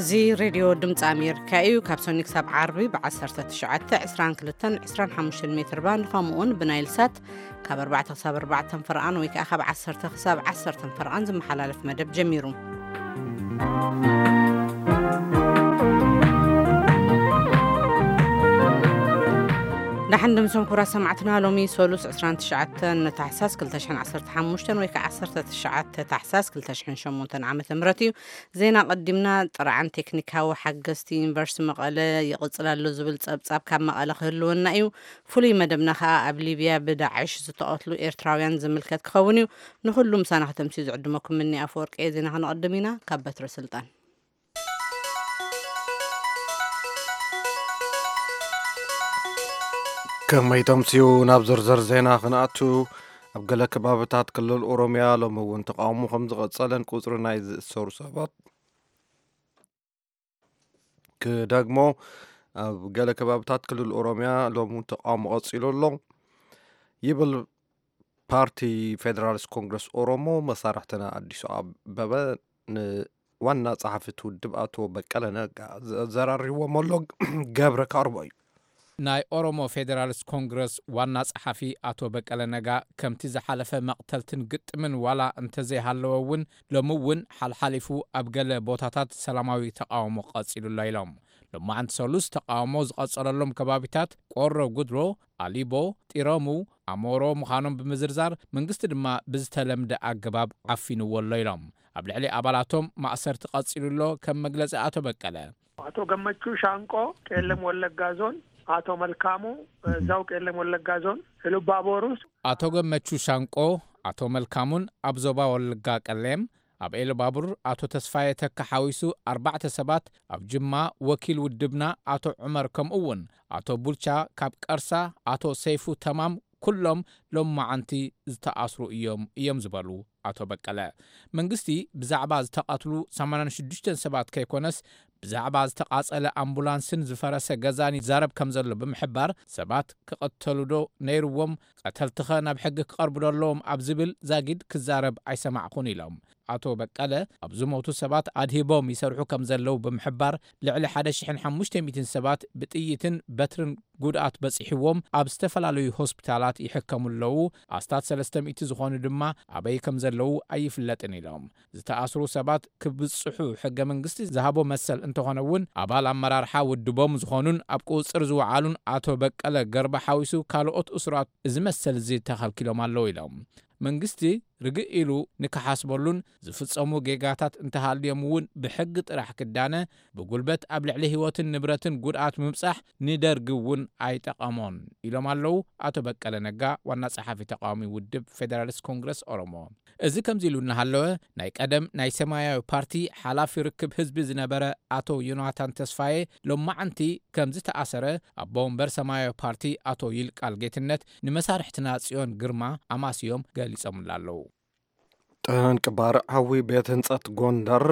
እዚ ሬድዮ ድምፂ ኣሜሪካ እዩ። ካብ ሰኒ ክሳብ ዓርቢ ብ19፣ 22፣ 25 ሜትር ባንድ፣ ከምኡውን ብናይል ሳት ካብ ኣርባዕተ ክሳብ ኣርባዕተ ፈርቓን ወይ ከዓ ካብ ዓሰርተ ክሳብ ዓሰርተ ፈርቓን ዝመሓላለፍ መደብ ጀሚሩ። ደሓን ድምሶም ክቡራት ሰማዕትና፣ ሎሚ ሶሉስ ዕስራን ትሽዓተን ታሕሳስ ክልተ ሽሕን ዓሰርተ ሓሙሽተን ወይ ከዓ ዓሰርተ ትሽዓተ ታሕሳስ ክልተ ሽሕን ሸሞንተን ዓመተ ምህረት እዩ። ዜና ቀዲምና። ጥርዓን ቴክኒካዊ ሓገዝቲ ዩኒቨርሲቲ መቐለ ይቕጽል ኣሎ ዝብል ጸብጻብ ካብ መቐለ ክህልወና እዩ። ፍሉይ መደብና ከኣ ኣብ ሊብያ ብዳዕሽ ዝተቐትሉ ኤርትራውያን ዝምልከት ክኸውን እዩ። ንኹሉ ምሳና ከተምስዩ ዝዕድመኩም ምኒ ኣፈወርቂ እየ። ዜና ከነቐድም ኢና። ካብ በትረ ስልጣን። ከመይ ተምስዩ? ናብ ዝርዝር ዜና ክንኣቱ፣ ኣብ ገለ ከባብታት ክልል ኦሮምያ ሎሚ እውን ተቃውሞ ከም ዝቐጸለን ቁጽሪ ናይ ዝእሰሩ ሰባት ክደግሞ፣ ኣብ ገለ ከባብታት ክልል ኦሮምያ ሎሚ ተቃውሞ ቀጺሉ ኣሎ ይብል ፓርቲ ፌደራሊስት ኮንግረስ ኦሮሞ። መሳርሕትና ኣዲሱ ኣበበ ንዋና ጸሓፊ እቲ ውድብ ኣቶ በቀለ ነጋ ዘዘራሪብዎም ኣሎ። ገብረ ካርቦ እዩ። ናይ ኦሮሞ ፌደራሊስት ኮንግረስ ዋና ጸሓፊ ኣቶ በቀለ ነጋ፣ ከምቲ ዝሓለፈ መቕተልትን ግጥምን ዋላ እንተዘይሃለወ እውን፣ ሎሚ እውን ሓልሓሊፉ ኣብ ገለ ቦታታት ሰላማዊ ተቃውሞ ቀጺሉ ኣሎ ኢሎም። ሎማዓንቲ ሰሉስ ተቃውሞ ዝቐጸለሎም ከባቢታት ቆሮ ጉድሮ፣ ኣሊቦ፣ ጢረሙ፣ ኣሞሮ ምዃኖም ብምዝርዛር፣ መንግስቲ ድማ ብዝተለምደ ኣገባብ ዓፊንዎ ኣሎ ኢሎም። ኣብ ልዕሊ ኣባላቶም ማእሰርቲ ቀጺሉ ኣሎ፣ ከም መግለጺ ኣቶ በቀለ። ኣቶ ገመቹ ሻንቆ፣ ቄለም ወለጋ ዞን፣ ኣቶ መልካሙ፣ እዛው ቄለም ወለጋ ዞን፣ ኢሉባቦር ውስጥ። ኣቶ ገመቹ ሻንቆ፣ ኣቶ መልካሙን ኣብ ዞባ ወለጋ ቀሌም፣ ኣብ ኤሉባቡር ኣቶ ተስፋዬ ተካ ሓዊሱ ኣርባዕተ ሰባት፣ ኣብ ጅማ ወኪል ውድብና ኣቶ ዑመር፣ ከምኡ እውን ኣቶ ቡልቻ ካብ ቀርሳ፣ ኣቶ ሰይፉ ተማም፣ ኩሎም ሎማዓንቲ ዝተኣስሩ እዮም፣ እዮም ዝበሉ ኣቶ በቀለ። መንግስቲ ብዛዕባ ዝተቐትሉ ሰማንያን ሽዱሽተን ሰባት ከይኮነስ፣ ብዛዕባ ዝተቓጸለ ኣምቡላንስን ዝፈረሰ ገዛን ይዛረብ ከም ዘሎ ብምሕባር፣ ሰባት ክቕተሉ ዶ ነይርዎም፣ ቀተልትኸ ናብ ሕጊ ክቐርቡ ዶ ኣለዎም ኣብ ዝብል ዛጊድ ክዛረብ ኣይሰማዕኹን ኢሎም። ኣቶ በቀለ፣ ኣብ ዝሞቱ ሰባት ኣድሂቦም ይሰርሑ ከም ዘለዉ ብምሕባር፣ ልዕሊ ሓደ ሽሕን ሓሙሽተ ሚእትን ሰባት ብጥይትን በትርን ጉድኣት በጺሕዎም ኣብ ዝተፈላለዩ ሆስፒታላት ይሕከሙ ኣለዉ። ኣስታት ሰለስተ ሚእቲ ዝኾኑ ድማ ኣበይ ከም ዘለዉ ኣይፍለጥን ኢሎም። ዝተኣስሩ ሰባት ክብጽሑ ሕገ መንግስቲ ዝሃቦ መሰል እንተኾነ እውን፣ ኣባል ኣመራርሓ ውድቦም ዝኾኑን ኣብ ቁጽር ዝወዓሉን ኣቶ በቀለ ገርባ ሓዊሱ ካልኦት እሱራት እዚ መሰል እዚ ተኸልኪሎም ኣለዉ ኢሎም። መንግስቲ ርግእ ኢሉ ንክሓስበሉን ዝፍጸሙ ጌጋታት እንተሃልዮም እውን ብሕጊ ጥራሕ ክዳነ፣ ብጉልበት ኣብ ልዕሊ ህይወትን ንብረትን ጉድኣት ምብጻሕ ንደርጊ እውን ኣይጠቐሞን ኢሎም ኣለዉ ኣቶ በቀለ ነጋ፣ ዋና ጸሓፊ ተቃዋሚ ውድብ ፌደራሊስት ኮንግረስ ኦሮሞ። እዚ ከምዚ ኢሉ እናሃለወ፣ ናይ ቀደም ናይ ሰማያዊ ፓርቲ ሓላፊ ርክብ ህዝቢ ዝነበረ ኣቶ ዮናታን ተስፋዬ ሎማዓንቲ ከም ዝተኣሰረ ኣቦ ወንበር ሰማያዊ ፓርቲ ኣቶ ይልቃል ጌትነት ንመሳርሕትና ጽዮን ግርማ ኣማስዮም ገሊጾምላ ኣለዉ። ጠንቂ ባርዕ ሓዊ ቤት ህንጸት ጎንደር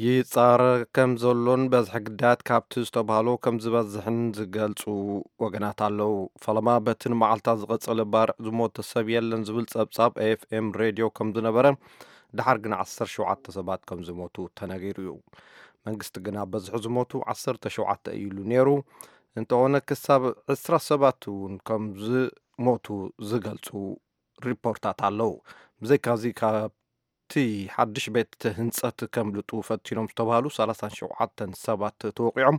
ይጻረ ከም ዘሎን በዝሒ ግዳያት ካብቲ ዝተባህሎ ከም ዝበዝሕን ዝገልጹ ወገናት ኣለዉ። ፈለማ በቲ ንመዓልታት ዝቐጸለ ባርዕ ዝሞተ ሰብ የለን ዝብል ጸብጻብ ኤፍኤም ሬድዮ ከም ዝነበረ፣ ድሓር ግን ዓሰርተ ሸውዓተ ሰባት ከም ዝሞቱ ተነጊሩ እዩ። መንግስቲ ግና በዝሒ ዝሞቱ ዓሰርተ ሸውዓተ እዩ ኢሉ ነይሩ። እንተኾነ ክሳብ ዕስራ ሰባት እውን ከም ዝሞቱ ዝገልጹ ሪፖርታት ኣለዉ። ብዘይካዚ ካብቲ ሓድሽ ቤት ህንጸት ከምልጡ ፈቲኖም ዝተባህሉ ሰላሳን ሸውዓተን ሰባት ተወቂዖም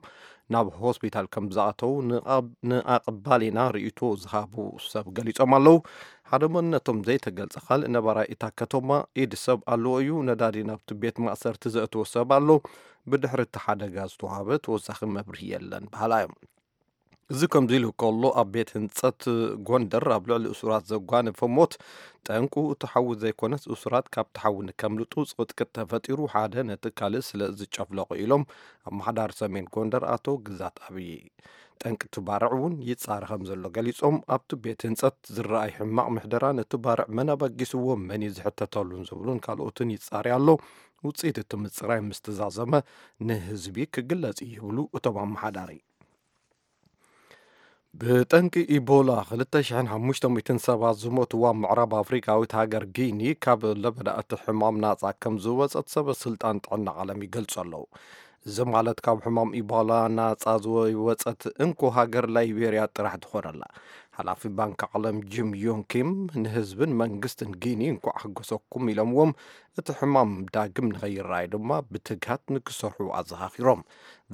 ናብ ሆስፒታል ከም ዝኣተዉ ንኣብ-፣ ንኣቕባሊና ርእይቶ ዝሃቡ ሰብ ገሊጾም ኣለዉ። ሓደ መንነቶም ዘይተገልጸ ካልእ ነባራይ እታ ከተማ ኢድ ሰብ ኣለዎ እዩ። ነዳዲ ናብቲ ቤት ማእሰርቲ ዘእተወ ሰብ ኣሎ። ብድሕሪ እቲ ሓደጋ ዝተዋህበ ተወሳኺ መብርሂ የለን በሃላ እዮም። እዚ ከምዚ ኢሉ ከሎ፣ ኣብ ቤት ህንጸት ጎንደር ኣብ ልዕሊ እሱራት ዘጓነፈ ሞት ጠንቁ እቲ ሓዊ ዘይኮነስ፣ እሱራት ካብቲ ሓዊ ንከምልጡ ጽቕጥቅጥ ተፈጢሩ፣ ሓደ ነቲ ካልእ ስለ ዝጨፍለቑ ኢሎም ኣመሓዳሪ ሰሜን ጎንደር ኣቶ ግዛት ኣብዪ። ጠንቂ እቲ ባርዕ እውን ይጻረ ከም ዘሎ ገሊጾም፣ ኣብቲ ቤት ህንጸት ዝረኣይ ሕማቕ ምሕደራ ነቲ ባርዕ መን ኣበጊስዎ፣ መን እዩ ዝሕተተሉን ዝብሉን ካልኦትን ይጻረይ ኣሎ። ውጽኢት እቲ ምጽራይ ምስ ተዛዘመ ንህዝቢ ክግለጽ እዩ ይብሉ እቶም ኣመሓዳሪ። ብጠንቂ ኢቦላ ክልተ ሽሕን ሓሙሽተ ሚእትን ሰባት ዝሞትዋ ምዕራብ ኣፍሪቃዊት ሃገር ጊኒ ካብ ለበዳ እቲ ሕማም ናጻ ከም ዝወጸት ሰበ ስልጣን ጥዕና ዓለም ይገልጹ ኣለዉ። እዚ ማለት ካብ ሕማም ኢቦላ ናጻ ዝወጸት እንኮ ሃገር ላይቤርያ ጥራሕ ትኾነላ። ሓላፊ ባንክ ዓለም ጂም ዮን ኪም ንህዝብን መንግስትን ጊኒ እንኳዕ ሕጎሰኩም ኢሎምዎም፣ እቲ ሕማም ዳግም ንኸይረኣይ ድማ ብትግሃት ንክሰርሑ ኣዘኻኺሮም።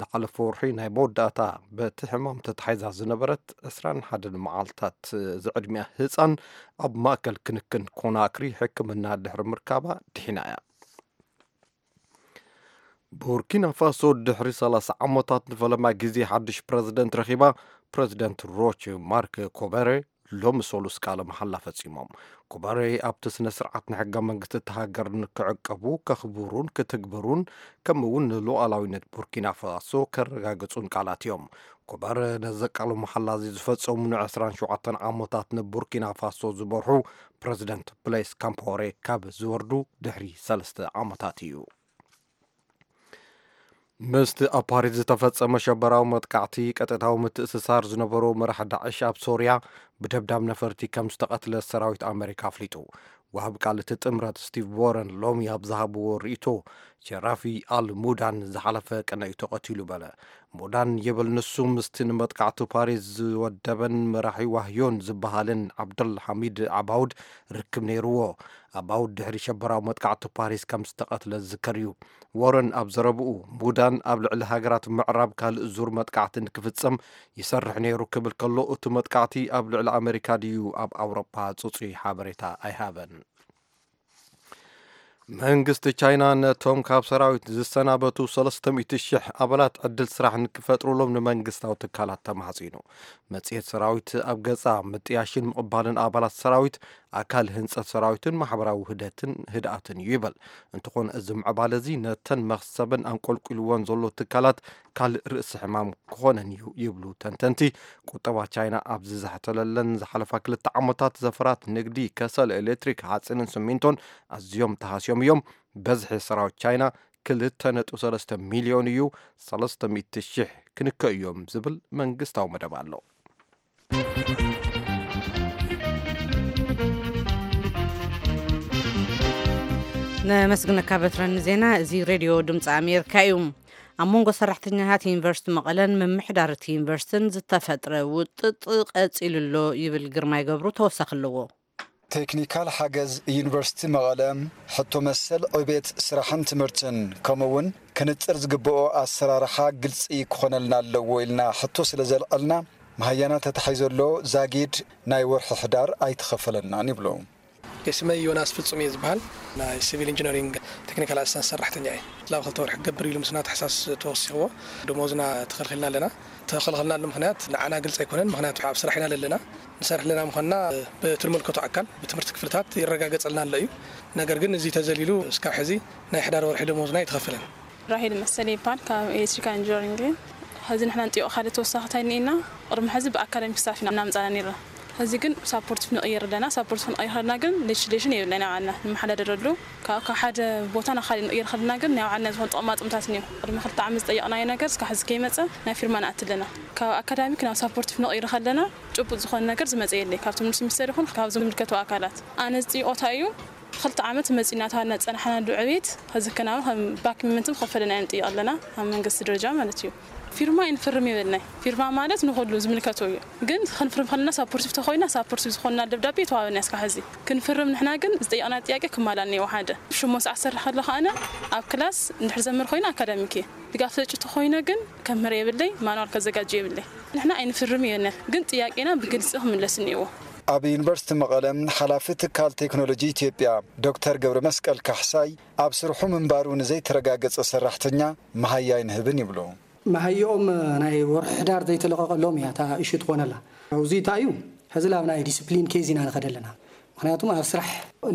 ዝሓለፈ ወርሒ ናይ መወዳእታ በቲ ሕማም ተታሒዛ ዝነበረት ዕስራን ሓደን መዓልታት ዝዕድሚያ ህፃን ኣብ ማእከል ክንክን ኮናክሪ ሕክምና ድሕሪ ምርካባ ድሒና እያ። ቡርኪና ፋሶ ድሕሪ ሰላሳ ዓመታት ንፈለማ ግዜ ሓድሽ ፕረዚደንት ረኺባ። ፕረዚደንት ሮች ማርክ ኮበሬ ሎሚ ሰሉስ ቃለ መሓላ ፈጺሞም። ኮበሬ ኣብቲ ስነ ስርዓት ንሕገ መንግስቲ እታ ሃገር ንክዕቀቡ፣ ከኽብሩን ክትግብሩን ከምኡ እውን ንሉዓላዊነት ቡርኪና ፋሶ ከረጋግጹን ቃላት እዮም። ኮበሬ ነዚ ቃለ መሓላ እዚ ዝፈጸሙ ንዕስራን ሸውዓተን ዓመታት ንቡርኪና ፋሶ ዝመርሑ ፕረዚደንት ብሌስ ካምፓወሬ ካብ ዝወርዱ ድሕሪ ሰለስተ ዓመታት እዩ። ምስቲ ኣብ ፓሪስ ዝተፈጸመ ሸበራዊ መጥቃዕቲ ቀጥታዊ ምትእስሳር ዝነበሮ መራሕ ዳዕሽ ኣብ ሶርያ ብደብዳብ ነፈርቲ ከም ዝተቐትለ ሰራዊት ኣመሪካ ኣፍሊጡ። ወሃብ ቃል እቲ ጥምረት ስቲቭ ዎረን ሎሚ ኣብ ዝሃብዎ ርእይቶ፣ ሸራፊ ኣል ሙዳን ዝሓለፈ ቅነ እዩ ተቐቲሉ በለ። ሙዳን ይብል ንሱ ምስቲ ንመጥቃዕቲ ፓሪስ ዝወደበን መራሒ ዋህዮን ዝበሃልን ዓብደል ሓሚድ ዓባውድ ርክብ ነይርዎ። ዓባውድ ድሕሪ ሸበራዊ መጥቃዕቲ ፓሪስ ከም ዝተቐትለ ዝዝከር እዩ። ዎረን ኣብ ዘረብኡ፣ ሙዳን ኣብ ልዕሊ ሃገራት ምዕራብ ካልእ ዙር መጥቃዕቲ ንክፍጸም ይሰርሕ ነይሩ ክብል ከሎ፣ እቲ መጥቃዕቲ ኣብ ልዕሊ ኣመሪካ ድዩ ኣብ ኣውሮፓ ጽጹይ ሓበሬታ ኣይሃበን። መንግስቲ ቻይና ነቶም ካብ ሰራዊት ዝሰናበቱ ሰለስተ ሚእቲ ሽሕ ኣባላት ዕድል ስራሕ ንክፈጥሩሎም ንመንግስታዊ ትካላት ተማሕጺኑ። መጽሔት ሰራዊት ኣብ ገጻ፣ ምጥያሽን ምቕባልን ኣባላት ሰራዊት ኣካል ህንጸት ሰራዊትን ማሕበራዊ ውህደትን ህድኣትን እዩ ይበል። እንተኾነ እዚ ምዕባለ እዚ ነተን መኽሰበን ኣንቆልቂልወን ዘሎ ትካላት ካልእ ርእሲ ሕማም ክኾነን እዩ ይብሉ ተንተንቲ። ቁጠባ ቻይና ኣብ ዝዛሕተለለን ዝሓለፋ ክልተ ዓመታት ዘፈራት ንግዲ፣ ከሰል፣ ኤሌክትሪክ፣ ሓፂንን ስሚንቶን ኣዝዮም ተሃስዮም እዮም። በዝሒ ሰራዊት ቻይና ክልተ ነጥቢ ሰለስተ ሚልዮን እዩ። ሰለስተ ሚእቲ ሽሕ ክንከ እዮም ዝብል መንግስታዊ መደብ ኣሎ። ነመስግነካ በትረ ንዜና። እዚ ሬድዮ ድምፂ ኣሜሪካ እዩ። ኣብ መንጎ ሰራሕተኛታት ዩኒቨርሲቲ መቐለን ምምሕዳር እቲ ዩኒቨርሲቲን ዝተፈጥረ ውጥጥ ቀፂሉ ኣሎ ይብል ግርማይ ገብሩ ተወሳኺ ኣለዎ። ቴክኒካል ሓገዝ ዩኒቨርሲቲ መቐለ ሕቶ መሰል ዕቤት ስራሕን ትምህርትን ከምኡ እውን ክንፅር ዝግብኦ ኣሰራርሓ ግልፂ ክኾነልና ኣለዎ ኢልና ሕቶ ስለ ዘልዐልና መሃያና ተታሒዞ ኣሎ። ዛጊድ ናይ ወርሒ ሕዳር ኣይተኸፈለናን ይብሉ። ስመይ ዮናስ ፍጹም እየ ዝበሃል። ናይ ሲቪል ኢንጂነሪንግ ቴክኒካል ኣሲስታንስ ሰራሕተኛ እየ። ላብ ክልተ ወርሒ ክገብር ኢሉ ምስና ታሕሳስ ተወሲኽዎ ደሞዝና ተኸልኺልና ኣለና። ተኸልኸልናሉ ምኽንያት ንዓና ግልፂ ኣይኮነን። ምኽንያቱ ኣብ ስራሕ ኢና ዘለና። ንሰርሕ ኣለና ምዃንና ብትልምልከቶ ኣካል ብትምህርቲ ክፍልታት ይረጋገፀልና ኣሎ እዩ። ነገር ግን እዚ ተዘሊሉ እስካብ ሕዚ ናይ ሕዳር ወርሒ ደሞዝና ኣይተኸፈለን። ራሄል መሰለ ይበሃል፣ ካብ ኤሌክትሪካል ኢንጂነሪንግ እየ። ሕዚ ንሕና ንጥይቆ ካልእ ተወሳኺ እንታይ እኒኤና? ቅድሚ ሕዚ ብኣካዳሚክ ስታፍ ኢና እናምፃና ነይርና። ሕዚ ግን ሳፖርቲቭ ንቕይር ኣለና። ሳፖርቲቭ ክንቕይር ከለና ግን ሌጅስሌሽን የብልና ናይ ባዕልና ንመሓዳደረሉ። ካብ ካብ ሓደ ቦታ ናብ ካሊእ ንቕይር ከለና ግን ናይ ባዕልና ዝኾነ ጥቕማ ጥቕምታት እኒኦ። ቅድሚ ክልተ ዓመት ዝጠየቕናዮ ነገር እስካብ ሕዚ ከይመፀ ናይ ፊርማ ንኣቲ ኣለና። ካብ ኣካዳሚክ ናብ ሳፖርቲቭ ንቕይር ከለና ጭቡጥ ዝኾነ ነገር ዝመፀ የለይ። ካብ ትምህርቲ ሚኒስቴር ይኹን ካብ ዝምልከቱ ኣካላት። ኣነ ዝጥይቆ እንታይ እዩ? ክልተ ዓመት መፂና እናተባልና ዝፀናሕናሉ ዕቤት ከዝከናውን ከም ባክ ፔመንትም ክኸፈለና ኢና ንጥይቕ ኣለና፣ ኣብ መንግስቲ ደረጃ ማለት እዩ። ፊርማ ኣይንፍርም ይበልናይ። ፊርማ ማለት ንኹሉ ዝምልከቶ እዩ። ግን ክንፍርም ከለና ሳፖርቲቭ ተኾይና፣ ሳፖርቲቭ ዝኾንና ደብዳቤ ተዋበና እስካብ ሕዚ። ክንፍርም ንሕና ግን ዝጠየቕና ጥያቄ ክማላእ እኒአዎ ሓደ። ሽሞን ሰዓት ዝሰርሕ ከለኹ ኣነ ኣብ ክላስ እንድሕር ዘምር ኮይነ ኣካዳሚክ እየ። ድጋፍ ሰጪ ተኾይነ ግን ከምህር የብለይ፣ ማንዋል ከዘጋጅ የብለይ። ንሕና ኣይንፍርም ይበልናይ። ግን ጥያቄና ብግልፂ ክምለስ እኒአዎ። ኣብ ዩኒቨርሲቲ መቐለ ሓላፊ ትካል ቴክኖሎጂ ኢትዮጵያ ዶክተር ገብረ መስቀል ካሕሳይ ኣብ ስርሑ ምንባሩ ንዘይተረጋገጸ ሰራሕተኛ መሃያ ኣይንህብን ይብሉ። መሃይኦም ናይ ወርሒ ሕዳር ዘይተለቐቐሎም እያ እታ እሹ ትኾነላ። እዚ እንታይ እዩ? ሕዚ ላብ ናይ ዲስፕሊን ኬዝ ኢና ንኸደ ኣለና። ምኽንያቱም ኣብ ስራሕ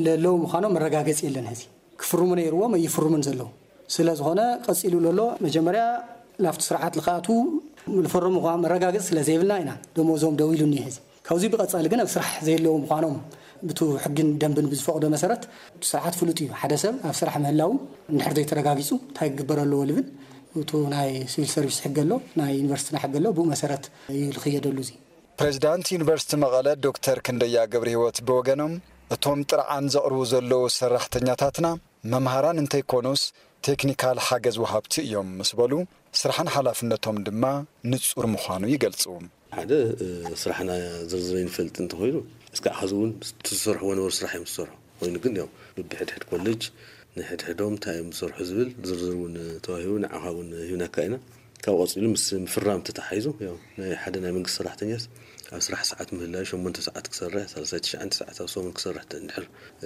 ለለዉ ምዃኖም መረጋገፂ የለን። ሕዚ ክፍርሙ ነይርዎም ኣይፍርሙን ዘለዉ። ስለ ዝኾነ ቀፂሉ ለሎ መጀመርያ ላብቲ ስርዓት ልኽኣቱ ልፈረሙ እኳ መረጋገፂ ስለ ዘይብልና ኢና ደሞዞም ደው ኢሉ እኒሀ። ሕዚ ካብዚ ብቐፃሊ ግን ኣብ ስራሕ ዘየለዉ ምዃኖም ብቱ ሕግን ደንብን ብዝፈቕዶ መሰረት እቲ ስርዓት ፍሉጥ እዩ። ሓደ ሰብ ኣብ ስራሕ ምህላው እንድሕር ዘይተረጋጊፁ እንታይ ክግበር ኣለዎ ልብል እቱ ናይ ሲቪል ሰርቪስ ሕጊ ኣሎ፣ ናይ ዩኒቨርሲቲና ሕጊ ኣሎ። ብኡ መሰረት እዩ ልኽየደሉ። እዚ ፕሬዚዳንት ዩኒቨርሲቲ መቐለ ዶክተር ክንደያ ገብረህይወት ብወገኖም፣ እቶም ጥርዓን ዘቕርቡ ዘለዉ ሰራሕተኛታትና መምሃራን እንተይኮኑስ ቴክኒካል ሓገዝ ወሃብቲ እዮም ምስ በሉ፣ ስራሕን ሓላፍነቶም ድማ ንጹር ምዃኑ ይገልጹ። ሓደ፣ እ፣ ስራሕና ዝርዝር ይንፈልጥ እንተኾይኑ፣ እስካዕ ኸዚ እውን ትሰርሕዎ ነበሩ ስራሕ እዮም ዝሰርሑ። ኮይኑ ግን ያው ብብሕድሕድ ኮሌጅ ንሕድሕዶም እንታይ እዮም ዝሰርሑ ዝብል ዝርዝር እውን ተዋሂቡ፣ ንዓኻ እውን ሂብናካ ኢና። ካብ ቀጺሉ ምስ ምፍራም ተተሓሒዙ፣ ያው ናይ ሓደ ናይ መንግስቲ ሰራሕተኛስ ኣብ ስራሕ ሰዓት ምህላዩ ሸሞንተ ሰዓት ክሰርሕ፣ ሰላሳ ትሽዓተ ሰዓት ኣብ ሰሙን ክሰርሕ እንድሕር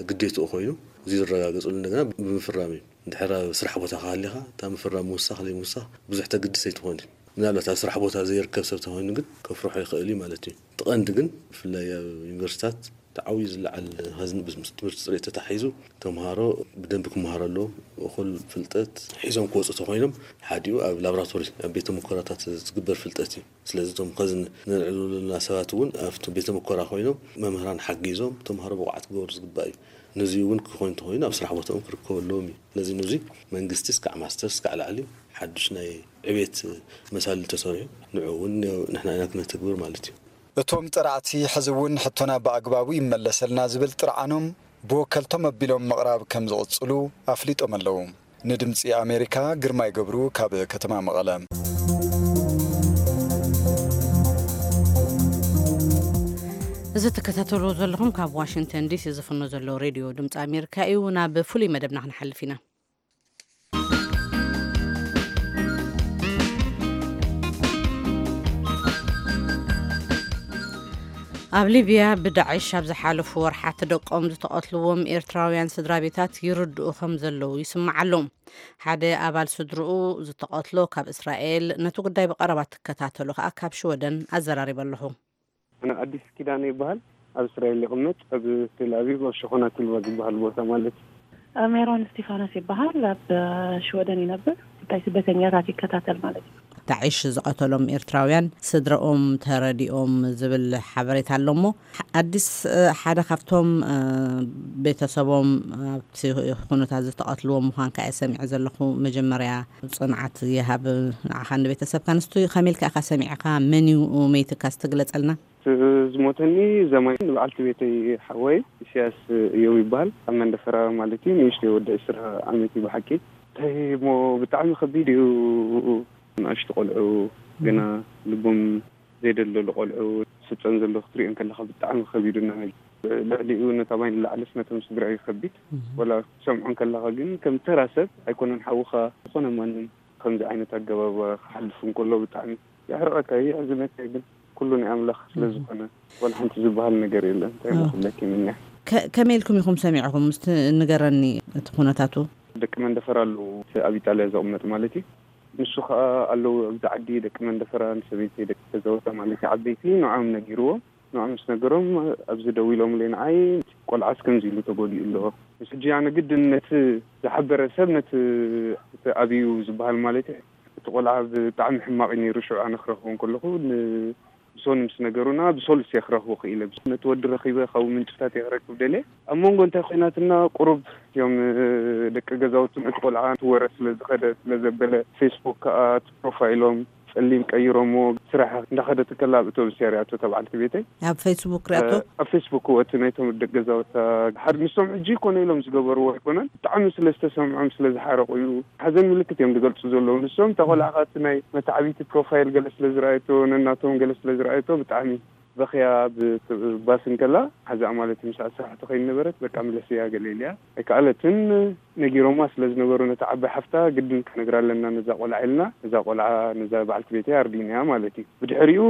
ግዴትኡ ኮይኑ፣ እዚ ዝረጋገጽሉ እንደገና ብምፍራም እዩ። እንድሕር ኣብ ስራሕ ቦታ ሃሊኻ እታ ምፍራም ምውሳኽ ዘይምውሳኽ ብዙሕ ተግድስ ኣይትኾን። ምናልባት ኣብ ስራሕ ቦታ ዘይርከብ ሰብ ተኾይኑ ግን ከፍርሖ ይኽእል እዩ ማለት እዩ። እቲ ቀንዲ ግን ብፍላይ ኣብ ዩኒቨርሲታት እቲ ዓብዩ ዝለዓል ሃዝኒ ምስ ትምህርቲ ፅሬት ተታሒዙ ተምሃሮ ብደንቢ ክመሃሩ ኣለዎም። እኹል ፍልጠት ሒዞም ክወፁ ተኾይኖም ሓዲኡ ኣብ ላብራቶሪ ኣብ ቤተ ሙከራታት ዝግበር ፍልጠት እዩ። ስለዚ እቶም ከዚ ነልዕሉ ዘለና ሰባት እውን ኣብቲ ቤተ ሙከራ ኮይኖም መምህራን ሓጊዞም ተምሃሮ ብቑዓት ክገብሩ ዝግባእ እዩ። ነዚ እውን ክኾን እንተኾይኑ ኣብ ስራሕ ቦታኦም ክርከቡ ኣለዎም እዩ። ስለዚ ነዚ መንግስቲ እስካዕ ማስተር እስካዕ ላዕሊ ሓዱሽ ናይ ዕቤት መሳልል ተሰሪሑ ንዑ እውን ንሕና ኢና ክነተግብር ማለት እዩ። እቶም ጠራዕቲ ሕዚ እውን ሕቶና ብኣግባቡ ይመለሰልና ዝብል ጥርዓኖም ብወከልቶም ኣቢሎም ምቕራብ ከም ዝቕጽሉ ኣፍሊጦም ኣለዉ። ንድምጺ ኣሜሪካ ግርማይ ገብሩ ካብ ከተማ መቐለ። እዚ ትከታተሉ ዘለኹም ካብ ዋሽንግተን ዲሲ ዝፍኖ ዘሎ ሬድዮ ድምፂ ኣሜሪካ እዩ። ናብ ፍሉይ መደብና ክንሓልፍ ኢና። ኣብ ሊብያ ብዳዕሽ ኣብ ዝሓለፉ ወርሓት ደቆም ዝተቐትልዎም ኤርትራውያን ስድራ ቤታት ይርድኡ ከም ዘለዉ ይስማዕ ኣሎ። ሓደ ኣባል ስድርኡ ዝተቐትሎ ካብ እስራኤል፣ ነቲ ጉዳይ ብቐረባ ትከታተሎ ከኣ ካብ ሽወደን ኣዘራሪበ ኣለኹ። ኣነ ኣዲስ ኪዳነ ይበሃል። ኣብ እስራኤል ይቕመጥ፣ ኣብ ቴል ኣቪቭ፣ ኣብ ሸኾና ቲልባ ዝበሃል ቦታ ማለት እዩ። ሜሮን እስቲፋኖስ ይበሃል፣ ኣብ ሽወደን ይነብር። ጉዳይ ስደተኛታት ይከታተል ማለት እዩ። ዳዕሽ ዝቐተሎም ኤርትራውያን ስድረኦም ተረዲኦም ዝብል ሓበሬታ ኣሎ እሞ፣ ኣዲስ፣ ሓደ ካብቶም፣ እ፣ ቤተሰቦም ኣብቲ ኩነታት ዝተቐትልዎም ምዃንካ እየ ሰሚዐ ዘለኹ። መጀመርያ ጽንዓት ይሃብ ንዓኻን ንቤተሰብካን። እስቲ ከመይ ኢልካ ኢኻ ሰሚዕካ? መን እዩ መይትካ? እስቲ ግለጸልና። እቲ ዝሞተኒ ዘማይ ንበዓልቲ ቤተይ ሓወይ ኢሳያስ እዮም ይበሃል። ኣብ መንደፈራ ማለት እዩ። ንእሽተይ ወዲ ዕስራ ዓመት እዩ ብሓቂ። እንታይ እሞ ብጣዕሚ ከቢድ እዩ። ንኣሽቱ ቆልዑ ገና ልቦም ዘይደልደሉ ቆልዑ ስጸን ዘሎ ክትሪኦ እንከለኻ ብጣዕሚ ከቢዱና። ልዕሊኡ ነታ ማይ ንላዕልስ ነቶም ስድራ እዩ ከቢድ። እህ። ወላ ክትሰምዖ እንከለኻ ግን ከም ተራ ሰብ ኣይኮነን ሓውኻ ዝኾነ ማንም ከምዚ ዓይነት ኣገባብ ክሓልፍ እንከሎ ብጣዕሚ የሕርቐካ፣ የሕዝነካ። ግን ኩሉ ናይ ኣምላኽ ስለ እህ። ዝኾነ ዋላ ሓንቲ ዝበሃል ነገር የለን። እንታይ እሞ እህ። ክብለኪ ምንያ። ከ-፣ ከመይ ኢልኩም ኢኹም ሰሚዕኹም? እስቲ ንገረኒ እቲ ኩነታቱ። ደቂ መንደፈራ ኣለዉ፣ እቲ ኣብ ኢጣልያ ዝቕመጥ ማለት እዩ። ንሱ ኸኣ ኣለዉ ኣብዚ ዓዲ ደቂ መንደፈራ፣ ንሰበይተይ ደቂ ገዛውታ ማለት እዩ፣ ዓበይቲ ንዖም ነጊርዎም። ንዖም ምስ ነገሮም ኣብዚ ደዊሎምለይ ንዓይ፣ "ቆልዓስ ከምዚ ኢሉ ተጎዲኡ ኣሎ?" ምስ ሕጂ ኣነ ግድን ነቲ ዝሓበረ ሰብ፣ ነቲ እቲ ኣብዩ ዝበሃል ማለት እዩ፣ እቲ ቆልዓ ብጣዕሚ ሕማቕ እዩ ነይሩ፣ ሽዑ ኣነ ክረኽቦ እንከለኹ ን-፣ ብሶኒ ምስ ነገሩና፣ ብሶሉስ እየ ክረኽቦ ክኢለ። ነቲ ወዲ ረኺበ፣ ካብኡ ምንጭታት እየ ክረክብ ደልየ። ኣብ መንጎ እንታይ ኮይናትና፣ ቁሩብ እዮም፣ እ፣ ደቂ ገዛውቲ፣ ነቲ ቆልዓ እቲ ወረ ስለ ዝኸደ፣ ስለ ዘበለ፣ ፌስቡክ ከኣ እቲ ፕሮፋይሎም ጸሊም ቀይሮምዎ፣ ስራሕ እንዳኸደት ከላ ኣብ ኣውቶቡስ እያ ሪኣቶ፣ እታ በዓልቲ ቤተይ። ኣብ ፌስቡክ ሪኣቶ? እ፣ ኣብ ፌስቡክ፣ እዎ፣ እቲ ናይቶም ደቂ ገዛውታ፣ ሓደ ንሶም ሕጂ ኮነ ኢሎም ዝገበርዎ ኣይኮነን። ብጣዕሚ ስለ ዝተሰምዖም፣ ስለ ዝሓረቑ እዩ። ሓዘን ምልክት እዮም ዝገልጹ ዘለዉ። ንሶም፣ እታ ቆልዓ ከኣ እቲ ናይ መተዓብይቲ ፕሮፋይል ገለ ስለ ዝረኣየቶ፣ ነናቶም ገለ ስለ ዝረኣየቶ፣ ብጣዕሚ በኽያ ብ-፣ ባስ እንከላ ሓዛኣ ማለት እዩ። ምሳኣ ስራሕ ትኸይድ ነበረት፣ በቃ ምለስያ ገለ ኢልያ። ኣይከኣለትን። ነጊሮማ ስለ ዝነበሩ ነታ ዓባይ ሓፍታ፣ ግድን ክነግራ ኣለና ነዛ ቆልዓ ኢልና፣ ነዛ ቆልዓ፣ ነዛ በዓልቲ ቤተይ ኣርዲእናያ ማለት እዩ። ብድሕሪኡ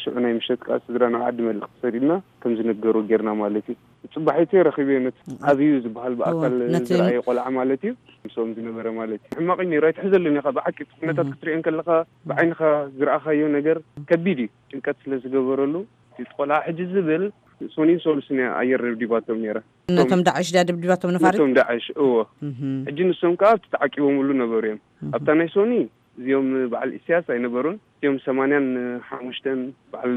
ሽዑ ናይ ምሸት ከኣ ስድራ ናብ ዓዲ መልእኽቲ ሰዲድና፣ ከም ዝነገሩ ጌርና ማለት እዩ። ጽባሒቱ ረኺበዮ ነቲ ኣብዩ ዝበሃል እወ፣ ብኣካል ነቲ ዝረኣየ ቆልዓ ማለት እዩ። ምስኦም ዝነበረ ማለት እዩ። ሕማቕ እዩ ነይሩ፣ ኣይትሕዘሉን ኢኻ። ብሓቂ እቲ ኩነታት እህ። ክትሪኦ እንከለኻ፣ ብዓይንኻ ዝረኣኻዮ ነገር ከቢድ እዩ። ጭንቀት ስለ ዝገበረሉ፣ እቲ ቆልዓ ሕጂ ዝብል ሶኒን ሶሉስን እያ ኣየር ደብዲባቶም ነይራ። ነቶም ዳዕሽ ድያ ደብዲባቶም ነፋሪት? ነቶም ዳዕሽ፣ እዎ። እህ። ሕጂ ንሶም ከኣ ኣብቲ ተዓቂቦምሉ ነበሩ እዮም። እህ። ኣብታ ናይ ሶኒ እዚኦም በዓል ኢሳያስ ኣይነበሩን። እዚኦም ሰማንያን ሓሙሽተን በዓል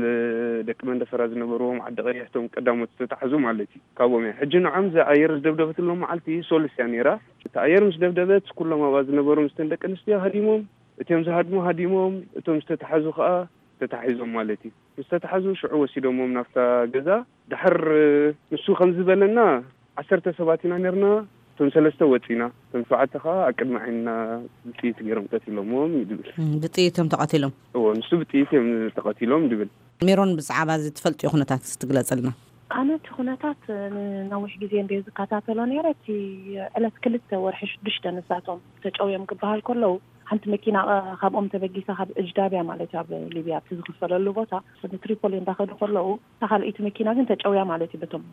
ደቂ መንደፈራ ዝነበርዎም ዓዲ ቀይሕ፣ እቶም ቀዳሞት ዝተታሕዙ ማለት እዩ። ካብኦም እያ። ሕጂ ንዖም እዛ ኣየር ዝደብደበትሎም መዓልቲ ሶሉስ እያ ነይራ። እታ ኣየር ምስ ደብደበት፣ ኩሎም ኣብኣ ዝነበሩ ምስተን ደቂ ኣንስትዮ ሃዲሞም፣ እቲኦም ዝሃድሙ ሃዲሞም፣ እቶም ዝተታሕዙ ከኣ ተታሒዞም ማለት እዩ። ምስ ተታሓዙ ሽዑ ወሲዶሞም ናብታ ገዛ። ድሕር ንሱ ከም ዝበለና፣ ዓሰርተ ሰባት ኢና ነርና። እቶም ሰለስተ ወፂና፣ እቶም ሸውዓተ ከዓ ኣብ ቅድሚ ዓይንና ብጥይት ገይሮም ቀቲሎሞም እዩ ዝብል። ብጥይት እዮም ተቐቲሎም? እዎ፣ ንሱ ብጥይት እዮም ተቐቲሎም ዝብል። ሜሮን፣ ብዛዕባ እዚ ትፈልጥዮ ኩነታት ትግለጽልና? ኣነ እቲ ኩነታት ንነዊሕ ግዜ እንደ ዝከታተሎ ነይረ። እቲ ዕለት ክልተ ወርሒ ሽዱሽተ ንሳቶም ተጨውዮም ክበሃል ከለዉ፣ ሓንቲ መኪና፣ እ፣ ካብኦም ተበጊሳ፣ ካብ እጅዳብያ ማለት እዩ፣ ኣብ ሊብያ ኣብቲ ዝኽፈለሉ ቦታ ንትሪፖሊ እንዳኸዱ ከለዉ፣ እታ ካልኣይቲ መኪና ግን ተጨውያ ማለት እዩ በቶም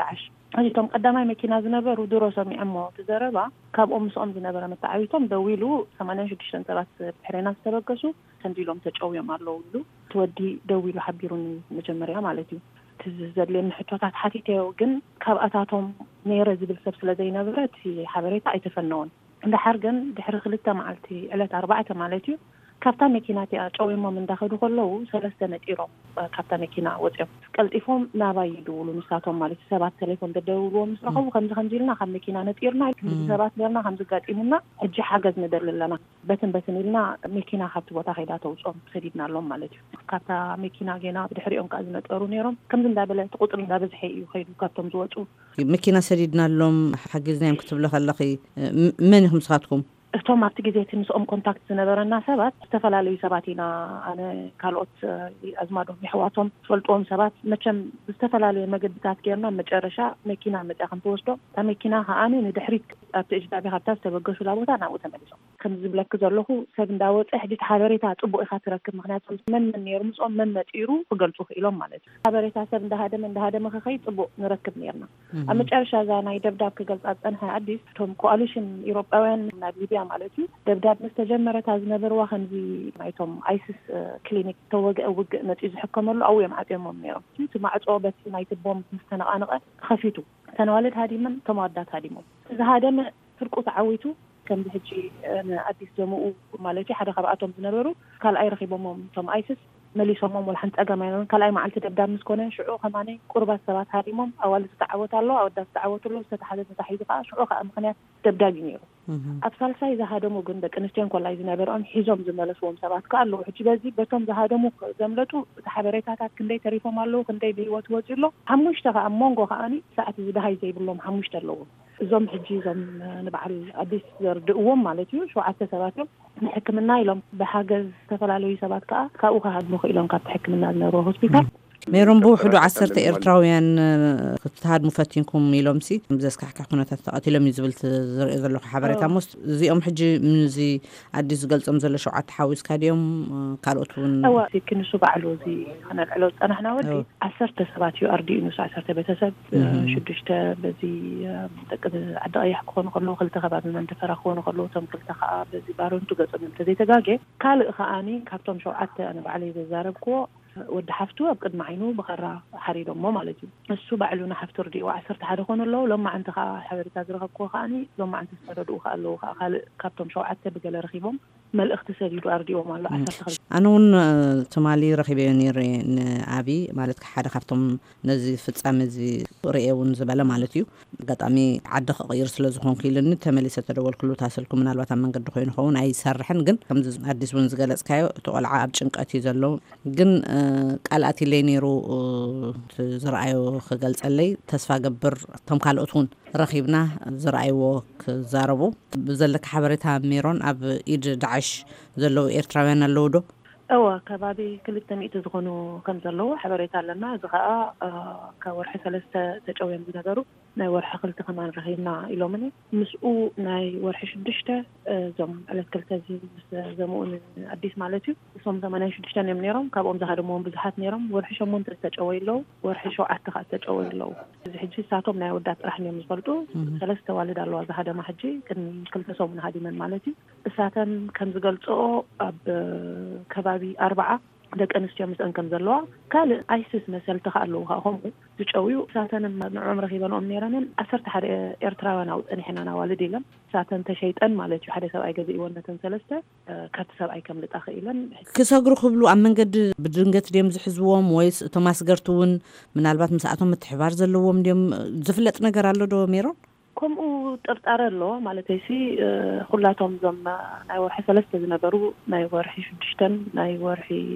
ዳዕሽ። ሕጂ እቶም ቀዳማይ መኪና ዝነበሩ ድሮ ሰሚዖሞ እቲ ዘረባ፣ ካብኦም ምስኦም ዝነበረ መተዓቢቶም ደዊሉ፣ ሰማንያን ሽዱሽተን ሰባት ብድሕሬና ዝተበገሱ ከምዚ ኢሎም ተጨውዮም ኣለዉ ኢሉ እቲ ወዲ ደዊሉ ሓቢሩኒ፣ መጀመርያ ማለት እዩ። እቲ ዘድልየኒ ሕቶታት ሓቲተዮ፣ ግን ካብኣታቶም ነይረ ዝብል ሰብ ስለ ዘይነበረ እቲ ሓበሬታ ኣይተፈነወን። እንድሓር ግን ድሕሪ ክልተ መዓልቲ፣ ዕለት ኣርባዕተ ማለት እዩ፣ ካብታ መኪና እቲኣ ጨውዮሞም እንዳኸዱ ከለዉ፣ ሰለስተ ነጢሮም፣ እ፣ ካብታ መኪና ወፂኦም ቀልጢፎም ናባይ ይድውሉ። ንሳቶም ማለት እዩ፣ ሰባት ቴሌፎን ደደውልዎም ምስ ረኸቡ፣ ከምዚ ከምዚ ኢልና ካብ መኪና ነጢርና፣ ከምዚ ሰባት ኔርና፣ ከምዚ ጋጢሙና፣ ሕጂ ሓገዝ ንደሊ ኣለና፣ በትን በትን ኢልና መኪና ካብቲ ቦታ ከይዳ ተውፅኦም ሰዲድናሎም ማለት እዩ። ካብታ መኪና ጌና ብድሕሪኦም ከዓ ዝነጠሩ ነይሮም። ከምዚ እንዳበለ እቲ ቁፅሪ እንዳበዝሐ እዩ ከይዱ ካብቶም ዝወፁ። መኪና ሰዲድናሎም ሓጊዝናዮም ክትብሊ ከለኺ፣ ም-፣ መን ኢኹም ንስኻትኩም? እቶም ኣብቲ ግዜ እቲ ምስኦም ኮንታክት ዝነበረና ሰባት፣ ዝተፈላለዩ ሰባት ኢና። ኣነ፣ ካልኦት፣ እ፣ ኣዝማዶም፣ የሕዋቶም፣ ዝፈልጥዎም ሰባት፣ መቸም ብዝተፈላለየ መገድታት ጌርና፣ መጨረሻ መኪና መፅያ ከም ትወስዶ፣ እታ መኪና ከዓኒ ንድሕሪት ኣብቲ እጅዳቢ ካብታ ዝተበገሱላ ቦታ ናብኡ ተመሊሶም። ከም ዝብለኪ ዘለኹ፣ ሰብ እንዳወፀ ሕጂ እቲ ሓበሬታ ፅቡቅ ኢኻ ትረክብ። ምክንያቱ መን መን ነይሩ ምስኦም፣ መን ነጢሩ ክገልፁ ክኢሎም ማለት እዩ። ሓበሬታ ሰብ እንዳሃደመ፣ እንዳሃደመ ክኸይድ ፅቡቅ ንረክብ ነይርና። ኣብ መጨረሻ እዛ ናይ ደብዳብ ክገልጻ ዝጸንሐ ኣዲስ፣ እቶም ኮኣሊሽን ኢሮጳውያን ናብ ሊብያ ማለት እዩ፣ ደብዳብ ምስ ተጀመረ፣ እታ ዝነበርዋ ከምዚ ናይቶም ኣይስስ፣ እ፣ ክሊኒክ ተወግአ ውግእ መጺኡ ዝሕከመሉ ኣብኡ እዮም ዓጽዮሞም ነይሮም። እቲ ማዕጾ በቲ ናይቲ ቦምብ ምስ ተነቓነቐ ተኸፊቱ። እተን ኣዋልድ ሃዲመን፣ እቶም ኣወዳት ሃዲሞም። እቲ ዝሃደመ ስርቁ ተዓዊቱ፣ ከምዚ ሕጂ፣ እ፣ ንኣዲስ ዘምኡ ማለት እዩ፣ ሓደ ካብኣቶም ዝነበሩ ካልኣይ ረኺቦሞም እቶም ኣይስስ። መሊሶሞም፣ ወላ ሓንቲ ጸገም ኣይነበሮም። ካልኣይ መዓልቲ ደብዳብ ምስ ኮነ፣ ሽዑ ከማኒ ቁሩባት ሰባት ሃዲሞም፣ ኣዋልድ ዝተዓወት ኣሎ፣ ኣወዳት ዝተዓወት ኣሎ፣ ዝተታሕዘ ተታሒዙ ከኣ፣ ሽዑ ከኣ ምኽንያት ደብዳብ እዩ ነይሩ። ኣብ ሳልሳይ ዝሃደሙ ግን ደቂ ኣንስትዮ እንኮላይ ዝነበርኦም ሒዞም ዝመለስዎም ሰባት ከኣ ኣለዉ። ሕጂ በዚ በቶም ዝሃደሙ ዘምለጡ እቲ ሓበሬታታት ክንደይ ተሪፎም ኣለዉ፣ ክንደይ ብህይወት ወጺኡ ኣሎ። ሓሙሽተ ከኣ ኣብ መንጎ ከኣኒ ሰዓት እዚ ደሃይ ዘይብሎም ሓሙሽተ ኣለዉ። እዞም ሕጂ እዞም ንበዓል ኣዲስ ዘርድእዎም ማለት እዩ፣ ሸውዓተ ሰባት እዮም። ንሕክምና ኢሎም ብሓገዝ ዝተፈላለዩ ሰባት ከኣ ካብኡ ክሃድሙ ክኢሎም ካብቲ ሕክምና ዝነበርዎ ሆስፒታል። ሜሮን፣ ብውሕዱ ዶክተር ዓሰርተ ኣጋጣሚ ኤርትራውያን፣ እ፣ ክትሃድሙ ፈቲንኩም ኢሎምሲ፣ ብዘስካሕክሕ ኩነታት ተቐቲሎም እዩ ዝብል ት-፣ ዝርኢ ዘለኹ ሓበሬታ። ኣዎ። ሞስ እዚኦም ሕጂ ምዚ ኣዲስ ዝገልጾም ዘሎ ሸውዓተ ሓዊስካ ድዮም፣ እ፣ ካልኦት እውን? እወ፣ እቲ ክንሱ ባዕሉ እዚ ክነልዕሎ ዝጸናሕና ወዲ እወ። ዓሰርተ ሰባት እዩ ኣርዲኡ፣ ንሱ ዓሰርተ ቤተሰብ፣ እ፣ እህ። ሽዱሽተ በዚ፣ እ፣ ደቂ ዓዲ ቀያሕ ክኾኑ ከለዉ፣ ክልተ ከባቢ መንደፈራ ክኾኑ ከለዉ፣ እቶም ክልተ ከኣ በዚ ባረንቱ ገጾም እዮም ተዘይተጋግየ። ካልእ ከኣኒ ካብቶም ሸውዓተ ኣነ ባዕለይ ዘዛረብክዎ ወዲ ሓፍቱ ኣብ ቅድሚ ዓይኑ ብኻራ ሓሪዶሞ ማለት እዩ። እሱ ባዕሉ ንሓፍቱ ኣርዲእዎ ዓሰርተ ሓደ ኮኑ ኣለዉ። ሎማዓንቲ ከኣ ሓበሬታ ዝረኸብክዎ ከኣኒ ሎማዓንቲ ዝተረድኡ ከኣ ኣለዉ። ከኣ ካልእ ካብቶም ሸውዓተ ብገለ ረኺቦም መልእኽቲ ሰዲዱ ኣርዲዎም ኣሎ። ዓሰርተ ክልተ። ኣነ እውን፣ እ፣ ትማሊ ረኺበዮ ነይረ ንኣቢ፣ ማለት ሓደ ካብቶም ነዚ ፍጻመ እዚ ርእየ እውን ዝበለ ማለት እዩ። ኣጋጣሚ ዓዲ ክቕይር ስለ ዝኾንኩ ኢሉኒ፣ ተመሊሰ ተደወልኩሉ፣ እታ ስልኩ ምናልባት ኣብ መንገዲ ኮይኑ ኸውን ኣይሰርሕን፣ ግን ከምዚ ኣዲስ እውን ዝገለጽካዮ፣ እቲ ቆልዓ ኣብ ጭንቀት እዩ ዘሎ። ግን፣ እ፣ ቃል ኣትይለይ ነይሩ፣ እ፣ እቲ ዝረኣዮ ክገልጸለይ ተስፋ ገብር፣ እቶም ካልኦት እውን ረኺብና ዝረኣይዎ ክዛረቡ። ብዘለካ ሓበሬታ ሜሮን፣ ኣብ ኢድ ዳዕሽ ዘለዉ ኤርትራውያን ኣለዉ ዶ? እወ፣ ከባቢ ክልተ ሚእቲ ዝኾኑ ከም ዘለዉ ሓበሬታ ኣለና። እዚ ኸኣ፣ እ፣ ካብ ወርሒ ሰለስተ ተጨውዮም ዝነበሩ ናይ ወርሒ ክልተ ከማን ረኺብና ኢሎምኒ። ምስኡ ናይ ወርሒ ሽዱሽተ፣ እ፣ እዞም ዕለት ክልተ እዚ ምስ ዘምኡ ንኣዲስ ማለት እዩ። እሶም ሰማንያን ሽዱሽተን እዮም ነይሮም። ካብኦም ዝሃደምዎም ብዙሓት ነይሮም። ወርሒ ሸሞንተ ዝተጨወዩ ኣለዉ። ወርሒ ሸውዓተ ከኣ ዝተጨወዩ ኣለዉ። እዚ ሕጂ እሳቶም ናይ ኣወዳት ጥራሕ እዮም ዝፈልጡ። እህ። ሰለስተ ኣዋልድ ኣለዋ ዝሃደማ ሕጂ፣ ቅድሚ ክልተ ሰሙን ሃዲመን ማለት እዩ። እሳተን ከም ዝገልጽኦ ኣብ ከባቢ ኣርብዓ ደቂ ኣንስትዮ ምስአን ከም ዘለዋ፣ ካልእ ኣይስስ መሰልቲ ከኣ ኣለዉ ከኣ ከምኡ ዝጨውዩ። እሳተን ንዕኦም ረኺበንኦም ነይረንን ዓሰርተ ሓደ ኤርትራውያን ኣብኡ ጸኒሐናን ኣዋልድ ኢለን። እሳተን ተሸይጠን ማለት እዩ። ሓደ ሰብኣይ ገዚእወን ነተን ሰለስተ፣ እ፣ ካብቲ ሰብኣይ ከምልጣ ክኢለን። ክሰግሩ ክብሉ ኣብ መንገዲ ብድንገት ድዮም ዝሕዝዎም ወይስ እቶም ኣስገርቲ እውን ምናልባት ምስኣቶም ምትሕባር ዘለዎም ድዮም? ዝፍለጥ ነገር ኣሎ ዶ ሜሮን? ከምኡ ጥርጣረ ኣሎ ማለተይሲ፣ ኩላቶም እዞም ናይ ወርሒ ሰለስተ ዝነበሩ፣ ናይ ወርሒ ሽዱሽተን ናይ ወርሒ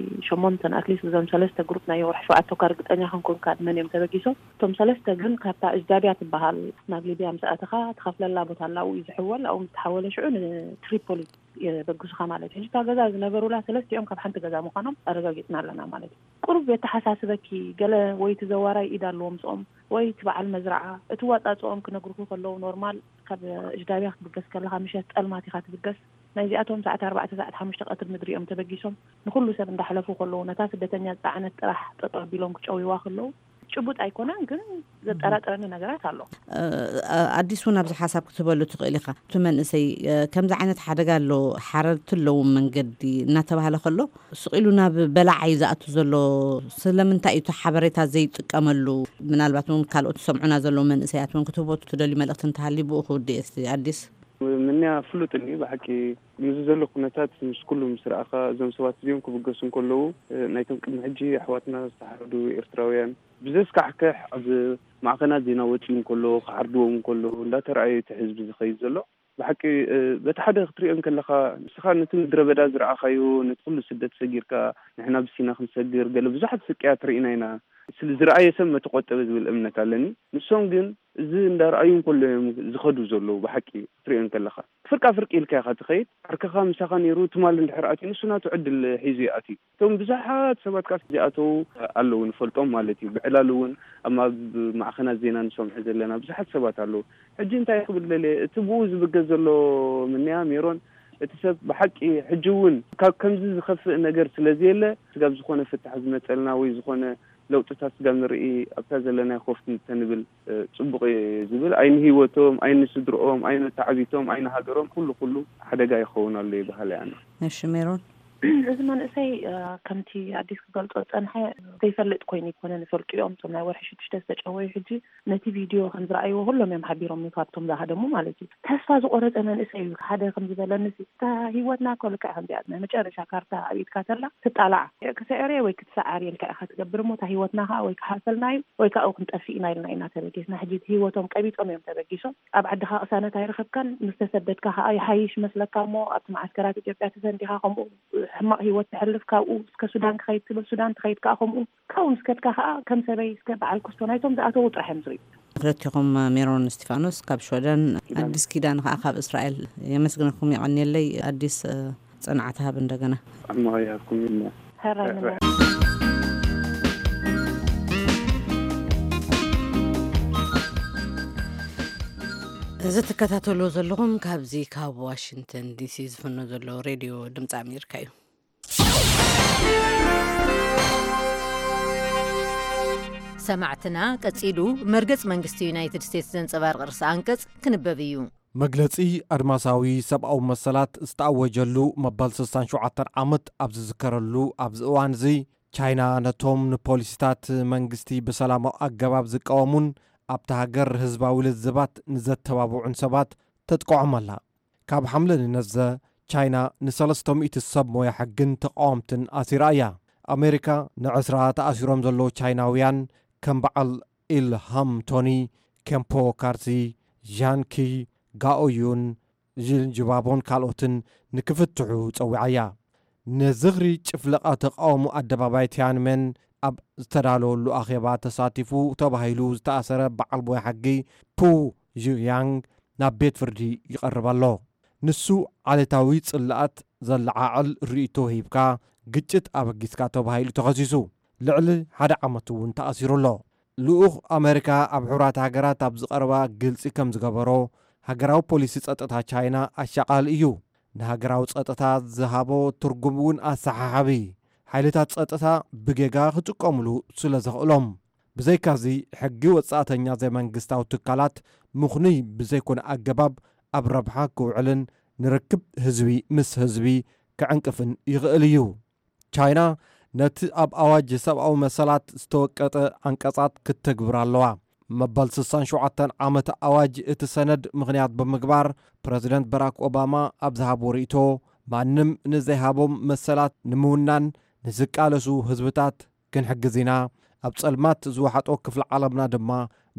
ሸሞንተን፣ ኣትሊስት እዞም ሰለስተ ግሩፕ ናይ ወርሒ ሸውዓተ እኳ ርግጠኛ ክንኮንካ መን እዮም ተበጊሶም። እቶም ሰለስተ ግን ካብታ እጅዳብያ ትበሃል ናብ ሊብያ ምስ ኣተኻ ትኸፍለላ ቦታ ኣላ፣ ኣብኡ እዩ ዝሕወል። ኣብኡ ምስ ተሓወለ ሽዑ ንትሪፖሊ የበግሱኻ ማለት እዩ። እታ ገዛ ዝነበሩላ ሰለስቲኦም ካብ ሓንቲ ገዛ ምዃኖም ኣረጋጊጽና ኣለና ማለት እዩ። ቁሩብ የተሓሳስበኪ፣ ገለ ወይ እቲ ዘዋራይ ኢድ ኣለዎ ምስኦም፣ ወይ እቲ በዓል መዝረዓ። እቲ ዋጣጽኦም ክነግሩኹ ከለዉ ኖርማል ካብ እጅዳብያ ክትብገስ ከለኻ ምሸት ጸልማት ኢኻ ትብገስ። ናይዚኣቶም ሰዓት ኣርባዕተ፣ ሰዓት ሓሙሽተ ቀትሪ ምድሪ እዮም ተበጊሶም። ንኹሉ ሰብ እንዳሕለፉ ከለዉ ነታ ስደተኛ ዝጸዓነት ጥራሕ ጠጠው ኣቢሎም ክጨውይዋ ከለዉ ጭቡጥ ኣይኮነን፣ ግን ዘጠራጥረኒ ነገራት ኣሎ። ኣዲስ እውን ኣብዚ ሓሳብ ክትህበሉ ትኽእል ኢኻ። እቲ መንእሰይ ከምዚ ዓይነት ሓደጋ ኣሎ፣ ሓረርቲ ኣለዎም መንገዲ እናተባህለ ከሎ ስቕ ኢሉ ናብ በላዕ እዩ ዝኣቱ ዘሎ። ስለምንታይ እዩ እቲ ሓበሬታ ዘይጥቀመሉ? ምናልባት እውን ካልኦት ዝሰምዑና ዘለዉ መንእሰያት እውን ክትህቦ ትደልዩ መልእኽቲ እንተሃልዩ ብኡ ክውድእ እየ። እስቲ ኣዲስ። ምንያ ፍሉጥኒ ብሓቂ ምስዚ ዘሎ ኩነታት ምስ ኩሉ ምስ ረኣኻ፣ እዞም ሰባት እዚኦም ክብገሱ እንከለዉ፣ ናይቶም ቅድሚ ሕጂ ኣሕዋትና ዝተሓረዱ ኤርትራውያን ብዘስካሕክሕ ኣብ ማዕኸናት ዜና ወፂኡ እንከሎ፣ ክዓርድዎም እንከሎ እንዳተረኣየ እቲ ህዝቢ ዝኸይድ ዘሎ። ብሓቂ በቲ ሓደ ክትሪኦ እንከለኻ፣ ንስኻ ነቲ ምድረ በዳ ዝረኣኻዮ፣ ነቲ ኩሉ ስደት ሰጊርካ፣ ንሕና ብሲና ክንሰግር፣ ገለ ብዙሓት ስቅያት ርኢና ኢና። ስለ ዝረኣየ ሰብ መተቆጠበ ዝብል እምነት ኣለኒ። ንሶም ግን እዚ እንዳረኣዩ እንከሎ እዮም ዝኸዱ ዘለዉ። ብሓቂ ክትሪኦ እንከለኻ፣ ፍርቃ ፍርቂ ኢልካ ኢኻ ትኸይድ። ዓርከኻ ምሳኻ ነይሩ፣ ትማል እንድሕር ኣትዩ፣ ንሱ ናቱ ዕድል ሒዙ ይኣትዩ። እቶም ብዙሓት ሰባት ከኣ ዝኣተዉ ኣለዉ፣ ንፈልጦም ማለት እዩ። ብዕላሉ እውን ኣብ ማዕኸናት ዜና ንሰምዖ ዘለና ብዙሓት ሰባት ኣለዉ። ሕጂ እንታይ ክብል ደልየ፣ እቲ ብኡ ዝብገስ ዘሎ ምንያ ሜሮን፣ እቲ ሰብ ብሓቂ ሕጂ እውን ካብ ከምዚ ዝኸፍእ ነገር ስለ ዘየለ፣ ስጋብ ዝኾነ ፍታሕ ዝመጸልና ወይ ዝኾነ ለውጥታት ስጋብ ንርኢ፣ ኣብታ ዘለናዮ ኮፍ እንተንብል፣ እ፣ ጽቡቕ እየ ዝብል። ኣይንህይወቶም፣ ኣይንስድርኦም፣ ኣይንተዓቢቶም፣ ኣይንሃገሮም፣ ኩሉ ኩሉ ሓደጋ ይኸውን ኣሎ ይበሃል ኣነ። እሺ ሜሮን። እዚ መንእሰይ፣ እ፣ ከምቲ ኣዲስ ክገልጾ ዝጸንሐ ዘይፈልጥ ኮይኑ ይኮነ፣ ንፈልጡ እዮም። እቶም ናይ ወርሒ ሽዱሽተ ዝተጨወዩ ሕጂ ነቲ ቪድዮ ከም ዝረኣይዎ ኩሎም እዮም ሓቢሮም፣ ካብቶም ዝሃደሙ ማለት እዩ። ተስፋ ዝቆረጸ መንእሰይ እዩ። ሓደ ከም ዝበለኒ፣ እታ ህይወትና እኮ ልክዕ ከምዚኣ ናይ መጨረሻ ካርታ ኣብ ኢድካ ተላ ትጣላዓ። ክትስዕር ወይ ክትሰዓር ኢልካ ኢኻ ትገብር እሞ፣ እታ ህይወትና ከዓ ወይ ክሓልፈልና እዩ ወይ ከዓ ክንጠፍእ ኢና ኢልና ኢና ተበጊስና። ሕጂ እቲ ህይወቶም ቀቢጾም እዮም ተበጊሶም። ኣብ ዓድኻ ቅሳነት ኣይረኸብካን፣ ምስ ተሰደድካ ከዓ ይሓይሽ መስለካ እሞ፣ ኣብቲ መዓስከራት ኢትዮጵያ ተሰንዲኻ ከምኡ ሕማቕ ህይወት ተሕልፍ፣ ካብኡ እስከ ሱዳን ክኸይድ ትብል፣ ሱዳን ትኸይድ ከዓ ከምኡ። ካብኡ ምስ ከድካ ከዓ ከም ሰበይ እስከ በዓል ክስቶ ናይቶም ዝኣተዉ ጥራሕ እዮም ዝርእዩ። ክልቲኹም ሜሮን እስቲፋኖስ ካብ ሽወደን፣ ኣዲስ ኪዳን ከዓ ካብ እስራኤል የመስግነኩም። የቐንየለይ ኣዲስ፣ እ፣ ጽንዓት ሃብ እንደገና። ኣማያ ኩሚና። ሕራይ ምና። እዚ ትከታተልዎ ዘለኹም ካብዚ ካብ ዋሽንግተን ዲሲ ዝፍኖ ዘሎ ሬድዮ ድምፂ ኣሜሪካ እዩ። ሰማዕትና፣ ቀጺሉ መርገጽ መንግስቲ ዩናይትድ ስቴትስ ዘንጸባርቕ ርእሰ ኣንቀጽ ክንበብ እዩ። መግለጺ ኣድማሳዊ ሰብኣዊ መሰላት ዝተኣወጀሉ መበል ስሳን ሸውዓተን ዓመት ኣብ ዝዝከረሉ ኣብዚ እዋን እዚ፣ ቻይና ነቶም ንፖሊሲታት መንግስቲ ብሰላማዊ ኣገባብ ዝቃወሙን ኣብታ ሃገር ህዝባዊ ልዝባት ንዘተባብዑን ሰባት ተጥቅዖም ኣላ። ካብ ሓምለ ንነዘ፣ ቻይና ንሰለስተ ሚእቲ ሰብ ሞያ ሕግን ተቃወምትን ኣሲራ እያ። ኣሜሪካ ንዕስራ ተኣሲሮም ዘለዉ ቻይናውያን ከም በዓል ኢልሃም ቶኒ፣ ኬምፖ ካርሲ፣ ዣን ኪ፣ ጋኦ ዩን፣ ዥን ጅባቦን ካልኦትን ንክፍትሑ ጸዊዓ እያ። ንዝኽሪ ጭፍለቓ ተቃውሞ ኣደባባይ ቲያንመን ኣብ ዝተዳለወሉ ኣኼባ ተሳቲፉ ተባሂሉ ዝተኣሰረ በዓል ሞያ ሕጊ ፑ ዥያንግ ናብ ቤት ፍርዲ ይቐርብ ኣሎ። ንሱ ዓሌታዊ ጽልኣት ዘለዓዕል ርእይቶ ሂብካ ግጭት ኣበጊስካ ተባሂሉ ተኸሲሱ። ልዕሊ ሓደ ዓመት እውን ተኣሲሩ ኣሎ። ልኡኽ ኣመሪካ ኣብ ሕቡራት ሃገራት ኣብ ዝቐረባ ግልጺ ከም ዝገበሮ፣ ሃገራዊ ፖሊሲ ጸጥታ ቻይና ኣሻቓሊ እዩ። ንሃገራዊ ጸጥታ ዝሃቦ ትርጉም እውን ኣሰሓሓቢ። ሓይልታት ጸጥታ ብጌጋ ክጥቀሙሉ ስለ ዘኽእሎም። ብዘይካዚ፣ ሕጊ ወጻእተኛ ዘይመንግስታዊ ትካላት ምኽኑይ ብዘይኮነ ኣገባብ ኣብ ረብሓ ክውዕልን ንርክብ ህዝቢ ምስ ህዝቢ ክዕንቅፍን ይኽእል እዩ። ቻይና ነቲ ኣብ ኣዋጅ ሰብኣዊ መሰላት ዝተወቀጠ ዓንቀጻት ክትተግብር ኣለዋ። መበል ስሳን ሸውዓተን ዓመት ኣዋጅ እቲ ሰነድ ምኽንያት ብምግባር፣ ፕረዚደንት በራክ ኦባማ ኣብ ዝሃቦ ርእይቶ፣ ማንም ንዘይሃቦም መሰላት ንምውናን ንዝቃለሱ ህዝብታት ክንሕግዝ ኢና፣ ኣብ ጸልማት ዝወሓጦ ክፍሊ ዓለምና ድማ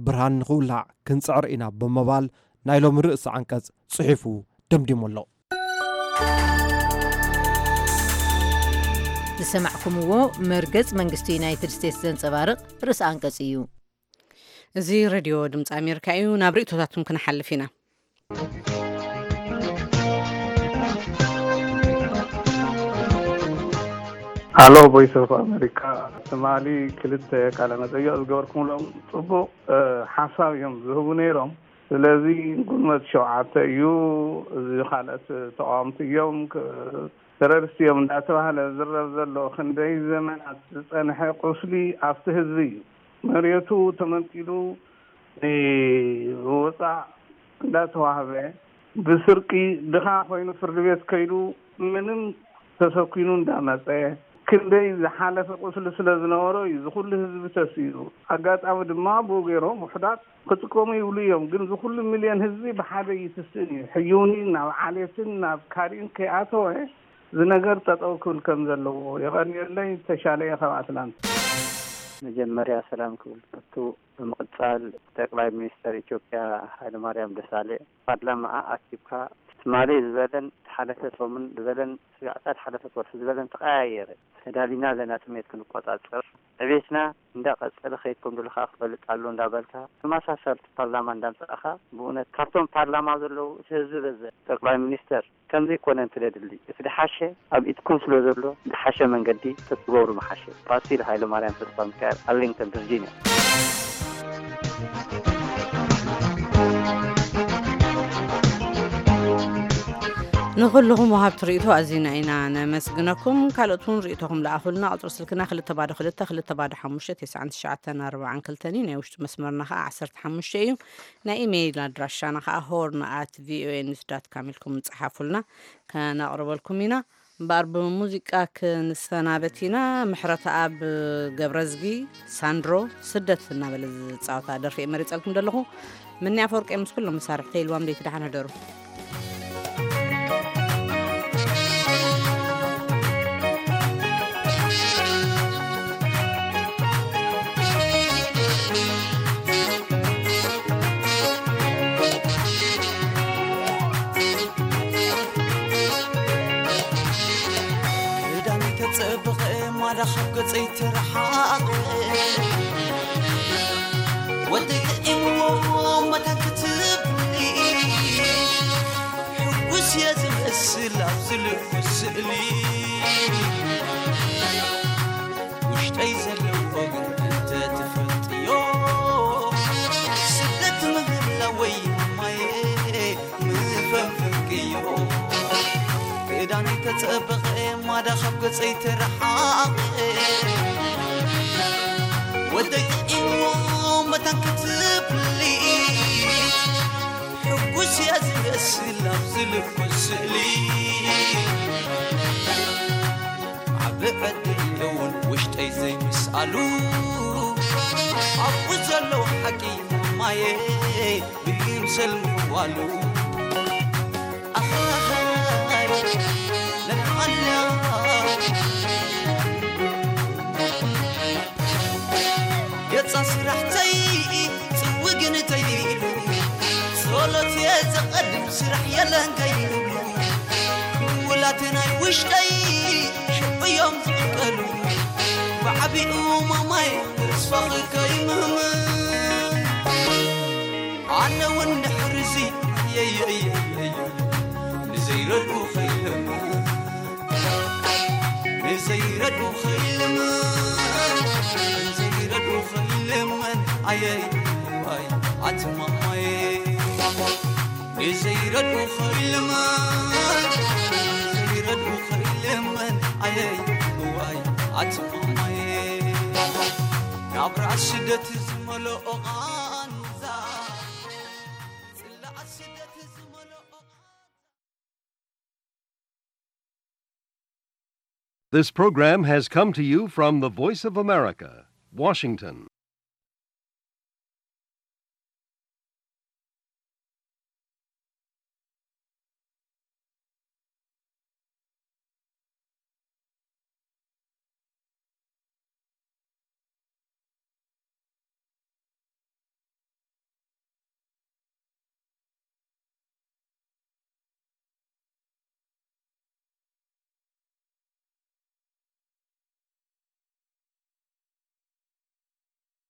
ብርሃን ንኽውላዕ ክንጽዕር ኢና ብምባል ናይ ሎሚ ርእሲ ዓንቀጽ ጽሒፉ ደምዲሙ ኣሎ። ዝሰማዕኩምዎ መርገጽ መንግስቲ ዩናይትድ ስቴትስ ዘንጸባርቕ ርእሲ ኣንቀጽ እዩ። እዚ ሬድዮ ድምፂ ኣሜሪካ እዩ። ናብ ርእቶታትኩም ክንሓልፍ ኢና። ሃሎ፣ ቮይስ ኦፍ ኣሜሪካ። ትማሊ ክልተ ቃለ መጠይቕ ዝገበርኩምሎም ጽቡቕ ሓሳብ እዮም ዝህቡ ነይሮም። ስለዚ ግንቦት ሸውዓተ እዩ፣ እዚ ካልኦት ተቃወምቲ እዮም፣ ተረርስቲ እዮም እንዳተባህለ ዝረብ ዘሎ ክንደይ ዘመናት ዝጸንሐ ቁስሊ ኣብቲ ህዝቢ እዩ። መሬቱ ተመንጢሉ ንወጻዕ እንዳተዋህበ ብስርቂ ድኻ ኮይኑ ፍርዲ ቤት ከይዱ ምንም ተሰኪኑ እንዳመጸ ክንደይ ዝሓለፈ ቁስሊ ስለ ዝነበሮ እዩ ዝኩሉ ህዝቢ ተሲኡ። ኣጋጣሚ ድማ ብኡ ገይሮም ውሕዳት ክጥቀሙ ይብሉ እዮም። ግን ዝኩሉ ሚልዮን ህዝቢ ብሓደ ይትስእን እዩ። ሕዩኒ ናብ ዓሌትን ናብ ካሪን ከይኣተወ ዝነገር ጠጠው ክብል ከም ዘለዎ የቐንየለይ። ተሻለየ ካብ ኣትላንታ። መጀመርያ ሰላም ክብል ፈቱ። ብምቕጻል ጠቅላይ ሚኒስተር ኢትዮጵያ ሃይለማርያም ደሳለኝ ፓርላማኣ ኣኪብካ ትማሊ ዝበለን ዝሓለፈ ሰሙን ዝበለን ስጋዕታ ዝሓለፈት ወርሒ ዝበለን ተቐያየረ። ተዳሊና ኣለና ጥሜት ክንቆጻጸር። ዕቤትና እንዳቐጸለ ከይድ ከም ዘሎ ከኣ ክፈልጥ ኣሎ እንዳበልካ ተመሳሳሊ ፓርላማ እንዳምጻእካ ብእውነት ካብቶም ፓርላማ ዘለዉ እቲ ህዝቢ በዘ። ጠቅላይ ሚኒስተር ከምዚ ኣይኮነን ስለ ድሊ እቲ ድሓሸ ኣብ ኢድኩም ስለ ዘሎ ድሓሸ መንገዲ ተትገብሩ ምሓሸ። ፋሲል ሃይለማርያም ተስፋሚካኤል ኣርሊንግተን ቨርጂንያ። ንኹልኹም ወሃብቲ ርእይቶ ኣዚና ኢና ነመስግነኩም። ካልኦት እውን ርእይቶኹም ለኣኹልና። ቁፅሪ ስልክና ክልተ ባዶ ክልተ ክልተ ባዶ ሓሙሽተ ተስዓን ትሽዓተን ኣርባዓን ክልተን እዩ። ናይ ውሽጢ መስመርና ከዓ ዓሰርተ ሓሙሽተ እዩ። ናይ ኢሜይል ኣድራሻና ከዓ ሆርን ኣት ቪኦኤ ኒውስ ዳት ካም ኢልኩም ጸሓፉልና፣ ከነቕርበልኩም ኢና። እምበኣር ብሙዚቃ ክንሰናበት ኢና። ምሕረተኣብ ገብረዝጊ ሳንድሮ ስደት እናበለ ዝፃወታ ደርፊ እየ መሪፀልኩም ዘለኹ። ምኒ ኣፈወርቂ ምስ ኩሎም መሳርሕተይ ኢልዋም ደይቲ ደሓን ህደሩ። ክዳነይ ተጸበቐ ማዳ ካብ ገጸይ ተረሓቐ ወደይ ጥዒምዎ መታን ክትብሊ ሕጉስ እየ ዝመስል ኣብዚ ልኩስ ስእሊ ውሽጠይ ዘለዎ ግን እንተ ትፈልጥዮ ስደት ምህላወይ ማየ ምፈንፍንክዮ ክዳነይ ተጸበቐ ማዳ ካብ ገጸይ ተረሓቐ ወደይ ጥዒምዎ መታን ክትብሊ ሕጉስ እያ ዝመስል ኣብዚ ልኩስ ስእሊ ዓቢ ዕድል እውን ውሽጠይ ዘይምስኣሉ ኣብኡ ዘለዉ ሓቂ ማየ ብይምሰል ምዋሉ ኣኻኻይ ለናዓላ ገጻ ስራሕተይ ጽውግን ተይሉ ጸሎት እየ ዘቐድም ስራሕ የለን ከይብሉ ክውላት ናይ ውሽጠይ ሽዑ እዮም ዝዕቀሉ ብዓቢኡ ማማይ ተስፋኺ ከይምህምን ኣነ እውን ድሕርዚ የየየየየ ንዘይረድኡ ከይለምን ንዘይረድኡ ከይለምን ንዘይረድኡ ከይለምን ኣየይ ዋይ ኣቲ ማማየ ንዘይረድኡ ከይለምን ንዘይረድኡ ከይለምን ኣየይ ዋይ ኣቲ ማማየ ናብራ ስደት ዝመልኦ ቓንዛ ጽላኣ ስደት ዝመልኦ This program has come to you from the Voice of America, Washington.